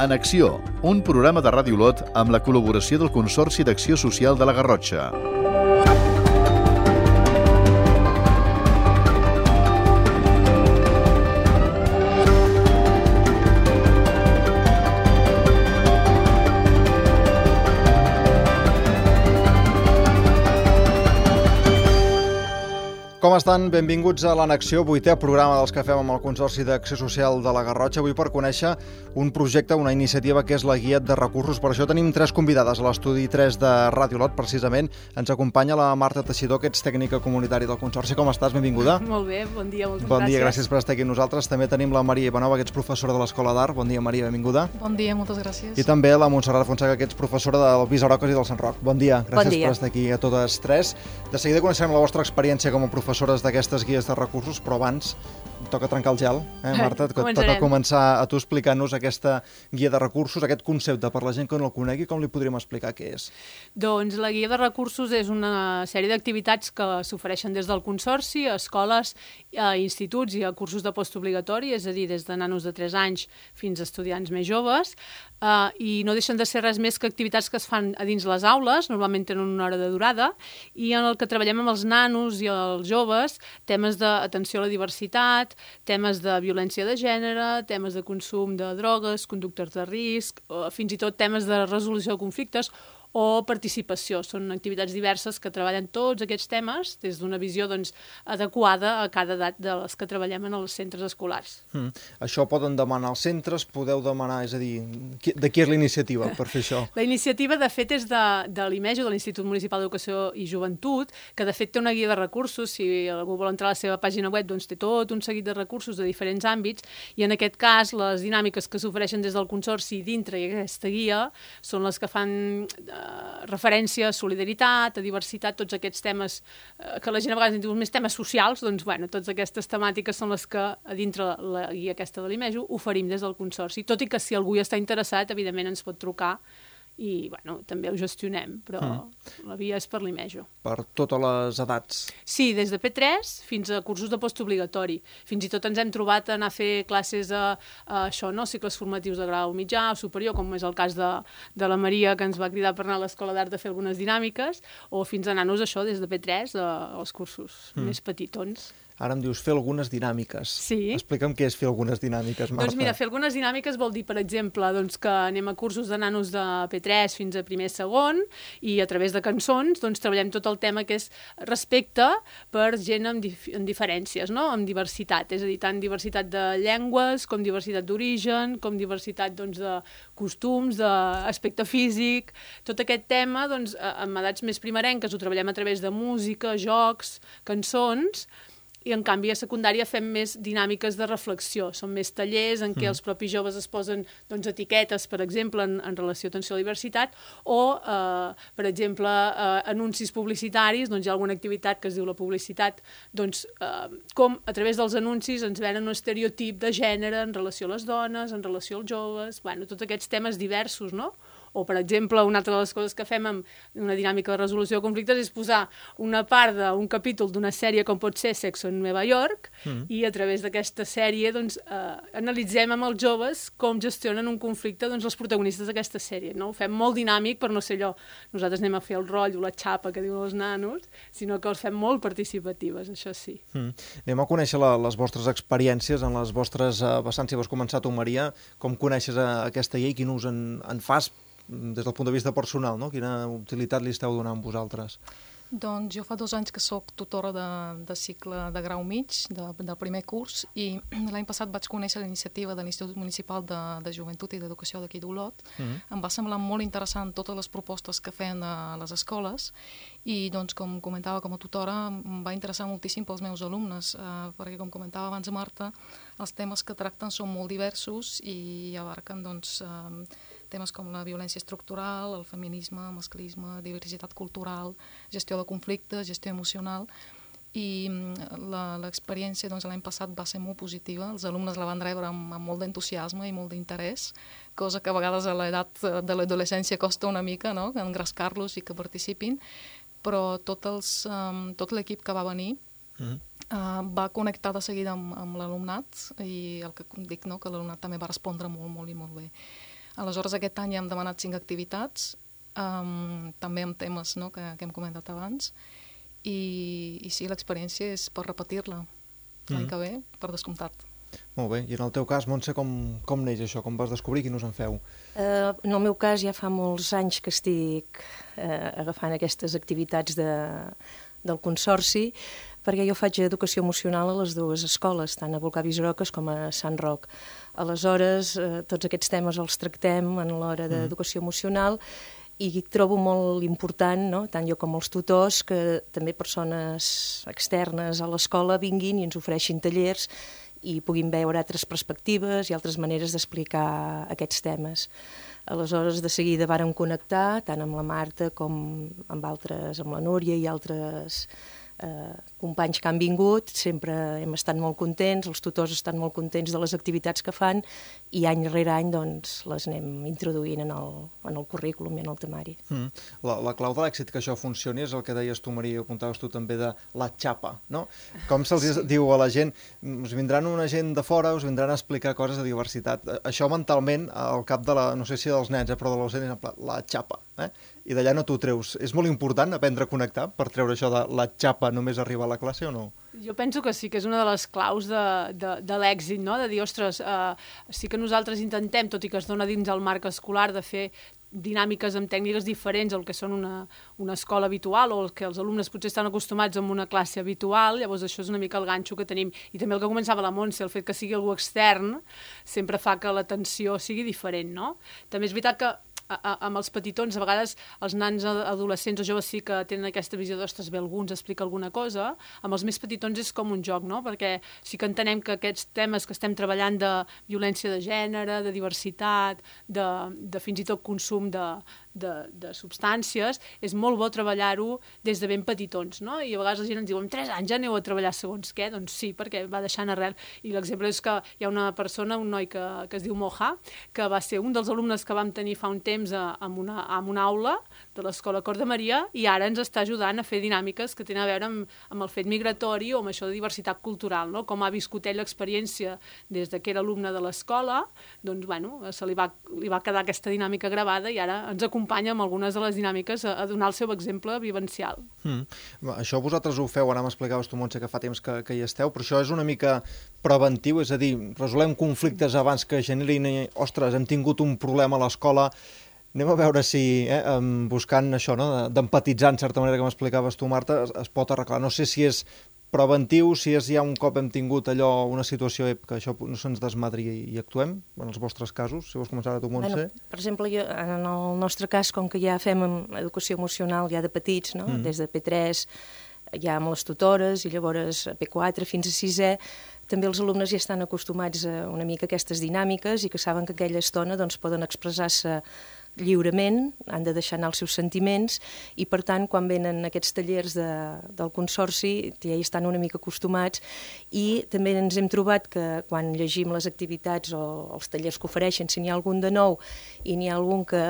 En Acció, un programa de Ràdio Olot amb la col·laboració del Consorci d'Acció Social de la Garrotxa. Com estan? Benvinguts a l'Anacció, 8è programa dels que fem amb el Consorci d'Acció Social de la Garrotxa. Avui per conèixer un projecte, una iniciativa que és la Guia de Recursos. Per això tenim 3 convidades a l'estudi 3 de Ràdio Olot, precisament. Ens acompanya la Marta Teixidor, que ets tècnica comunitària del Consorci. Com estàs? Benvinguda. Molt bé, bon dia, moltes gràcies. Bon dia, gràcies per estar aquí amb nosaltres. També tenim la Maria Ivanova, que ets professora de l'Escola d'Art. Bon dia, Maria, benvinguda. Bon dia, moltes gràcies. I també la Montserrat Fonseca, que ets professora del Visarocas i del Sant Roc. Bon dia, gràcies per estar aquí a totes 3. De seguida coneixerem la vostra experiència com a professores d'aquestes guies de recursos, però abans toca trencar el gel, Marta? Toca començar a tu explicant-nos aquesta guia de recursos, aquest concepte, per la gent que no el conegui, com li podríem explicar què és? Doncs la guia de recursos és una sèrie d'activitats que s'ofereixen des del Consorci a escoles, a instituts i a cursos de postobligatori, és a dir, des de nanos de 3 anys fins a estudiants més joves, i no deixen de ser res més que activitats que es fan a dins les aules, normalment tenen una hora de durada, i en el que treballem amb els nanos i els joves temes d'atenció a la diversitat, temes de violència de gènere, temes de consum de drogues, conductes de risc, fins i tot temes de resolució de conflictes o participació. Són activitats diverses que treballen tots aquests temes des d'una visió adequada a cada edat de les que treballem en els centres escolars. Això poden demanar als centres, podeu demanar, és a dir, de qui és la iniciativa per fer això? La iniciativa, de fet, és de l'IMEJO, de l'Institut Municipal d'Educació i Joventut, que de fet té una guia de recursos. Si algú vol entrar a la seva pàgina web, doncs té tot un seguit de recursos de diferents àmbits, i en aquest cas les dinàmiques que s'ofereixen des del Consorci dintre d'aquesta guia són les que fan referència a solidaritat, a diversitat, tots aquests temes que la gent a vegades en diu més temes socials, doncs totes aquestes temàtiques són les que a dintre la guia aquesta de l'IMEJO oferim des del Consorci, tot i que si algú hi està interessat, evidentment ens pot trucar i també ho gestionem, però la via és per l'IMEJO. Per totes les edats? Sí, des de P3 fins a cursos de postobligatori. Fins i tot ens hem trobat a anar a fer classes a cicles formatius de grau mitjà o superior, com és el cas de la Maria, que ens va cridar per anar a l'Escola d'Art a fer algunes dinàmiques, o fins a anar-nos des de P3 als cursos més petitons. Ara em dius fer algunes dinàmiques. Sí. Explica'm què és fer algunes dinàmiques, Marta. Doncs mira, fer algunes dinàmiques vol dir, per exemple, que anem a cursos de nanos de P3 fins a primer i segon, i a través de cançons treballem tot el tema que és respecte per gent amb diferències, no? Amb diversitat, és a dir, tant diversitat de llengües, com diversitat d'origen, com diversitat de costums, d'aspecte físic. Tot aquest tema, amb edats més primerenques, ho treballem a través de música, jocs, cançons, i en canvi a secundària fem més dinàmiques de reflexió. Són més tallers en què els propis joves es posen etiquetes, per exemple, en relació a atenció a la diversitat, o, per exemple, anuncis publicitaris, hi ha alguna activitat que es diu la publicitat, com a través dels anuncis ens venen un estereotip de gènere en relació a les dones, en relació als joves, tots aquests temes diversos, no? O, per exemple, una altra de les coses que fem amb una dinàmica de resolució de conflictes és posar una part d'un capítol d'una sèrie com pot ser Sexo en Nova York, i a través d'aquesta sèrie analitzem amb els joves com gestionen un conflicte els protagonistes d'aquesta sèrie. No? Ho fem molt dinàmic per no ser allò, nosaltres anem a fer el rotllo, la xapa que diuen els nanos, sinó que els fem molt participatives, això sí. Anem a conèixer les vostres experiències en les vostres vessants. Si vas començar tu, Maria, com coneixes aquesta llei, quin ús en fas des del punt de vista personal, no? Quina utilitat li esteu donant vosaltres? Doncs jo fa 2 anys que sóc tutora de cicle de grau mig, del primer curs, i l'any passat vaig conèixer la iniciativa de l'Institut Municipal de Joventut i d'Educació d'aquí d'Olot. Em va semblar molt interessant totes les propostes que feien a les escoles i, com comentava com a tutora, em va interessar moltíssim pels meus alumnes, perquè, com comentava abans Marta, els temes que tracten són molt diversos i abarquen, temes com la violència estructural, el feminisme, masclisme, diversitat cultural, gestió de conflictes, gestió emocional, i l'experiència l'any passat va ser molt positiva. Els alumnes la van rebre amb molt d'entusiasme i molt d'interès, cosa que a vegades a l'edat de l'adolescència costa una mica, no?, engrescar-los i que participin, però tot l'equip que va venir va connectar de seguida amb l'alumnat, i el que dic, no?, que l'alumnat també va respondre molt, molt i molt bé. Aleshores, aquest any hem demanat 5 activitats, també amb temes, no?, que hem comentat abans, i sí, l'experiència és per repetir-la l'any que ve, per descomptat. Molt bé, i en el teu cas, Montse, com neix això? Com vas descobrir? Quin us en feu? En el meu cas ja fa molts anys que estic agafant aquestes activitats del Consorci, perquè jo faig educació emocional a les dues escoles, tant a Volcà Visaroques com a Sant Roc. Aleshores, tots aquests temes els tractem en l'hora d'educació emocional i trobo molt important, no?, tant jo com els tutors, que també persones externes a l'escola vinguin i ens ofereixin tallers i puguin veure altres perspectives i altres maneres d'explicar aquests temes. Aleshores, de seguida vàrem connectar, tant amb la Marta com amb altres, amb la Núria i altres companys que han vingut. Sempre hem estat molt contents, els tutors estan molt contents de les activitats que fan i any rere any doncs, les anem introduint en el currículum i en el temari. La clau de l'èxit que això funcioni és el que deies tu, Maria, i apuntaves tu també, de la xapa, no? Com se'ls diu a la gent, us vindran una gent de fora, us vindran a explicar coses de diversitat. Això mentalment, al cap de no sé si dels nens, però de l'ocent, és la xapa, i d'allà no t'ho treus. És molt important aprendre a connectar per treure això de la xapa només arribar a la classe o no? Jo penso que sí, que és una de les claus de l'èxit, no? De dir, ostres, sí que nosaltres intentem, tot i que es dona dins el marc escolar, de fer dinàmiques amb tècniques diferents al que són una escola habitual o el que els alumnes potser estan acostumats a una classe habitual, llavors això és una mica el ganxo que tenim. I també el que començava la Montse, el fet que sigui algú extern, sempre fa que l'atenció sigui diferent, no? També és veritat que amb els petitons, a vegades els nans adolescents o joves sí que tenen aquesta visió d'ostres, ve algú, ens explica alguna cosa. Amb els més petitons és com un joc, no? Perquè sí que entenem que aquests temes que estem treballant de violència de gènere, de diversitat, de fins i tot consum de substàncies, és molt bo treballar-ho des de ben petitons, no? I a vegades la gent ens diu, amb 3 anys ja aneu a treballar segons què? Doncs sí, perquè va deixant arrel. I l'exemple és que hi ha una persona, un noi que es diu Moja, que va ser un dels alumnes que vam tenir fa un temps en una aula de l'Escola Cor de Maria i ara ens està ajudant a fer dinàmiques que tenen a veure amb el fet migratori o amb això de diversitat cultural, no? Com ha viscut ell l'experiència des que era alumne de l'escola, doncs, bueno, li va quedar aquesta dinàmica gravada i ara ens acompanya amb algunes de les dinàmiques a donar el seu exemple vivencial. Això vosaltres ho feu, ara m'explicaves tu, Montse, que fa temps que hi esteu, però això és una mica preventiu, és a dir, resolem conflictes abans que generin, ostres, hem tingut un problema a l'escola, anem a veure si, buscant això, no, d'empatitzar, en certa manera, que m'explicaves tu, Marta, es pot arreglar. No sé si és preventiu, si és ja un cop hem tingut allò, una situació que això no se'ns desmadri i actuem, en els vostres casos, si vols començar tu, Montse. Per exemple, en el nostre cas, com que ja fem educació emocional ja de petits, no? Des de P3, ja amb les tutores, i llavors a P4 fins a 6è, també els alumnes ja estan acostumats a una mica a aquestes dinàmiques i que saben que aquella estona doncs, poden expressar-se lliurement, han de deixar anar els seus sentiments i, per tant, quan venen aquests tallers del Consorci ja hi estan una mica acostumats i també ens hem trobat que quan llegim les activitats o els tallers que ofereixen, si n'hi ha algun de nou i n'hi ha algun que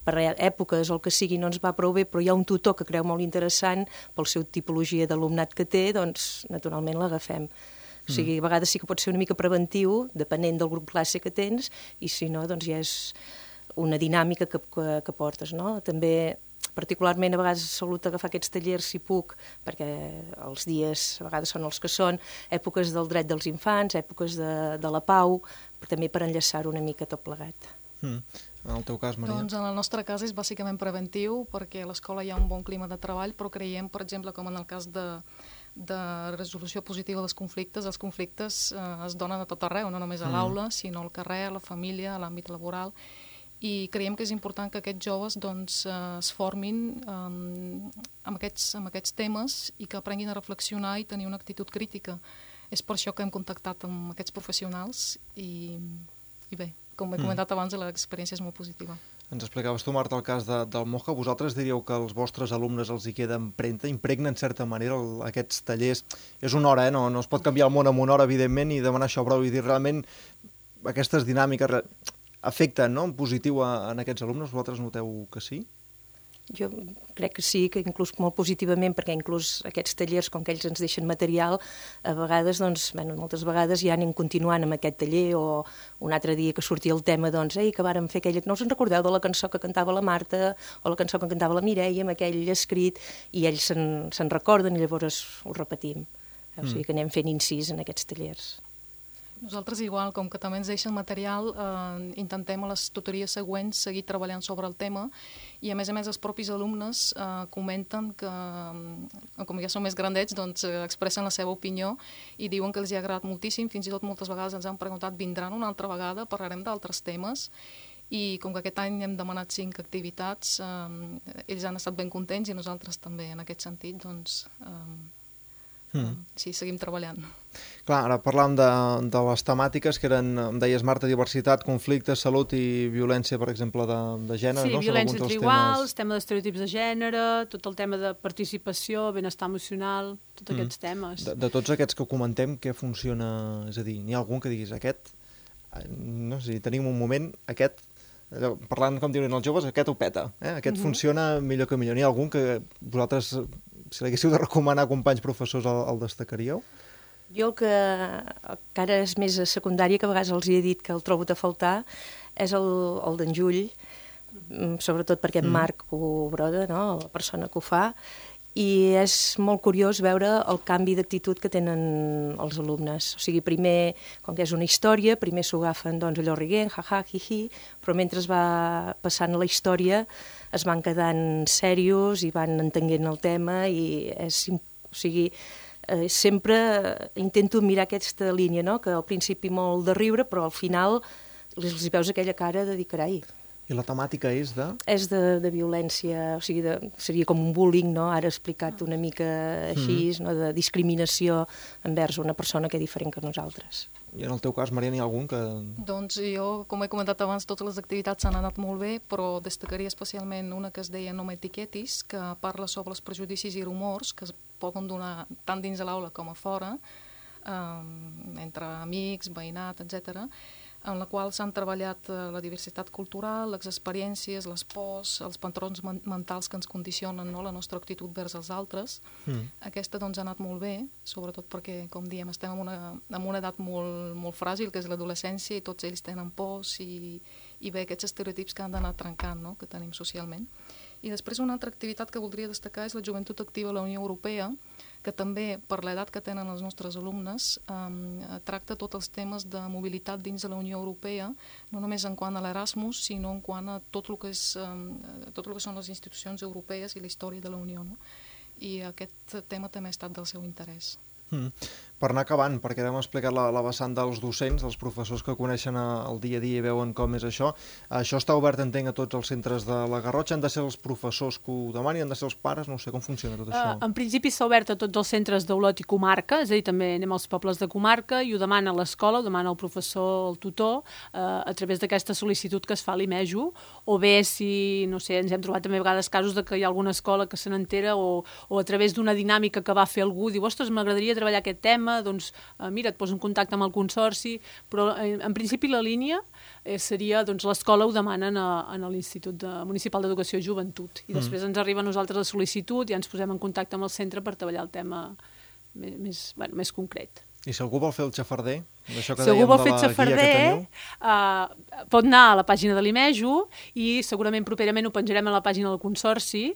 per èpoques o el que sigui no ens va prou bé, però hi ha un tutor que creu molt interessant pel seu tipologia d'alumnat que té, doncs naturalment l'agafem. O sigui, a vegades sí que pot ser una mica preventiu, depenent del grup classe que tens, i si no, doncs ja és una dinàmica que portes, no? També, particularment, a vegades salut agafar aquests tallers, si puc, perquè els dies a vegades són els que són, èpoques del dret dels infants, èpoques de la pau, però també per enllaçar-ho una mica tot plegat. En el teu cas, Maria? Doncs en el nostre cas és bàsicament preventiu, perquè a l'escola hi ha un bon clima de treball, però creiem, per exemple, com en el cas de resolució positiva dels conflictes, els conflictes es donen a tot arreu, no només a l'aula, sinó al carrer, a la família, a l'àmbit laboral, i creiem que és important que aquests joves doncs, es formin amb aquests temes i que aprenguin a reflexionar i tenir una actitud crítica. És per això que hem contactat amb aquests professionals i bé, com he comentat abans, l'experiència és molt positiva. Ens explicaves tu, Marta, el cas del Moja. Vosaltres diríeu que als vostres alumnes els hi queda empremta, impregna en certa manera aquests tallers. És una hora, no es pot canviar el món en una hora, evidentment, i demanar això prou i dir realment aquestes dinàmiques afecten, no, en positiu en aquests alumnes. Vosaltres noteu que sí? Jo crec que sí, que inclús molt positivament, perquè inclús aquests tallers, com que ells ens deixen material, a vegades, doncs, moltes vegades ja anem continuant amb aquest taller, o un altre dia que sortia el tema, doncs, que vàrem fer aquella... No us en recordeu de la cançó que cantava la Marta o la cançó que cantava la Mireia amb aquell escrit, i ells se'n recorden i llavors ho repetim. O sigui que anem fent incís en aquests tallers. Nosaltres igual, com que també ens deixen material, intentem a les tutories següents seguir treballant sobre el tema, i a més els propis alumnes comenten que, com ja són més grandets, doncs expressen la seva opinió i diuen que els ha agradat moltíssim, fins i tot moltes vegades ens han preguntat vindran una altra vegada, parlarem d'altres temes, i com que aquest any hem demanat 5 activitats, ells han estat ben contents i nosaltres també, en aquest sentit, doncs... Sí, seguim treballant. Clar, ara parlàvem de les temàtiques que eren, em deies, Marta, diversitat, conflicte, salut i violència, per exemple, de gènere. Sí, no? Violència entre iguals, tema d'estereotips de gènere, tot el tema de participació, benestar emocional, tots aquests temes. De tots aquests que comentem, què funciona? És a dir, n'hi ha algun que diguis, aquest, no sé, tenim un moment, aquest, parlant com diuen els joves, aquest ho peta, aquest funciona millor que millor. N'hi ha algun que vosaltres... Si l'haguéssiu de recomanar a companys professors, el destacaríeu? Jo el que ara és més a secundària, que a vegades els he dit que el trobo a faltar, és el d'en Jull, sobretot perquè en Marc ho broda, no? La persona que ho fa, i és molt curiós veure el canvi d'actitud que tenen els alumnes. O sigui, primer, com que és una història, primer s'ho agafen, doncs, allò riguent, ha-ha, hi-hi, però mentre es va passant la història es van quedant serios i van entenent el tema, i sempre intento mirar aquesta línia, no? Que al principi molt de riure, però al final els veus aquella cara de dir, carai. I la temàtica és de? És de violència, o sigui, seria com un bullying, no? Ara explicat una mica així, no? De discriminació envers una persona que és diferent que nosaltres. I en el teu cas, Maria, n'hi ha algun que... Doncs jo, com he comentat abans, totes les activitats s'han anat molt bé, però destacaria especialment una que es deia No m'etiquetis, que parla sobre els prejudicis i rumors que es poden donar tant dins de l'aula com a fora, entre amics, veïnat, etc., en la qual s'han treballat la diversitat cultural, les experiències, les pors, els patrons mentals que ens condicionen, no? La nostra actitud vers els altres. Aquesta doncs ha anat molt bé, sobretot perquè, com diem, estem en una edat molt fràgil, que és l'adolescència, i tots ells tenen pors i bé aquests estereotips que han d'anar trencant, no? Que tenim socialment. I després una altra activitat que voldria destacar és la Joventut Activa a la Unió Europea, que també, per l'edat que tenen els nostres alumnes, tracta tots els temes de mobilitat dins de la Unió Europea, no només en quant a l'Erasmus, sinó en quant a tot el que són les institucions europees i la història de la Unió, no? I aquest tema també ha estat del seu interès. Per anar acabant, perquè hem explicat la vessant dels docents, dels professors que coneixen el dia a dia i veuen com és això. Això està obert, entenc, a tots els centres de la Garrotxa. Han de ser els professors que ho demanin, han de ser els pares, no sé com funciona tot això. En principi s'ha obert a tots els centres d'Olot i comarca, és a dir, també anem als pobles de comarca, i ho demana l'escola, ho demana el professor, el tutor, a través d'aquesta sol·licitud que es fa a l'IMEJO, o bé si, no sé, ens hem trobat també a vegades casos de que hi ha alguna escola que se n'entera, o a través d'una dinàmica que va fer algú, diu, ostres, m'agradaria treballar aquest tema, doncs mira, et poso en contacte amb el consorci, però en principi la línia seria, doncs l'escola ho demanen a l'Institut Municipal d'Educació i Joventut, i després ens arriba a nosaltres la sol·licitud i ens posem en contacte amb el centre per treballar el tema més concret. I si algú vol fer el xafarder, d'això que si dèiem algú vol de fer la xafarder, guia que teniu? pot anar a la pàgina de l'IMEJO i segurament properament ho penjarem a la pàgina del Consorci,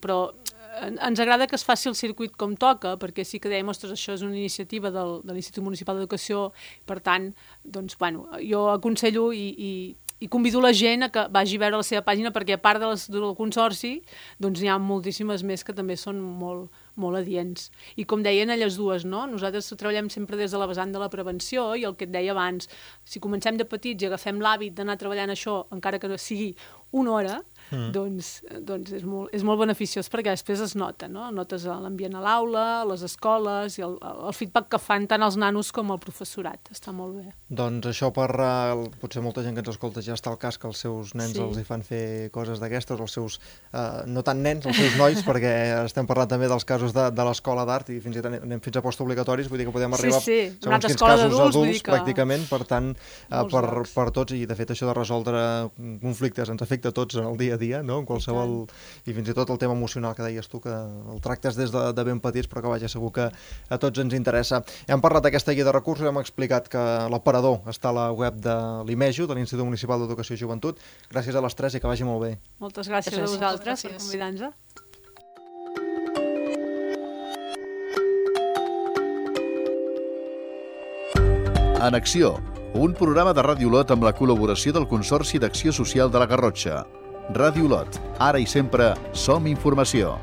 però ens agrada que es faci el circuit com toca, perquè sí que dèiem, ostres, això és una iniciativa de l'Institut Municipal d'Educació, per tant, doncs, bueno, jo aconsello i convido la gent a que vagi a veure la seva pàgina, perquè a part del Consorci, doncs n'hi ha moltíssimes més que també són molt adients. I com deien elles dues, no? Nosaltres treballem sempre des de la vessant de la prevenció, i el que et deia abans, si comencem de petits i agafem l'hàbit d'anar treballant això, encara que no sigui una hora, doncs és molt beneficiós, perquè després es nota, no? Notes l'ambient a l'aula, les escoles, i el feedback que fan tant els nanos com el professorat. Està molt bé. Doncs això potser molta gent que ens escolta ja està al cas que els seus nens els hi fan fer coses d'aquestes, els seus, no tant nens, els seus nois, perquè estem parlant també dels casos de l'escola d'art, i fins i tot anem fins a postobligatoris, vull dir que podem arribar segons quins casos adults, pràcticament, per tant, per tots, i de fet això de resoldre conflictes ens afecta a tots en el dia a a dia, no? En qualsevol... I fins i tot el tema emocional que deies tu, que el tractes des de ben petits, però que vaja, segur que a tots ens interessa. Hem parlat d'aquesta guia de recursos, hem explicat que l'aparador està a la web de l'IMEJU, de l'Institut Municipal d'Educació i Joventut. Gràcies a les tres i que vagi molt bé. Moltes gràcies a vosaltres per convidar-nos. En Acció, un programa de Ràdio Olot amb la col·laboració del Consorci d'Acció Social de la Garrotxa. Ràdio Olot, ara i sempre som informació.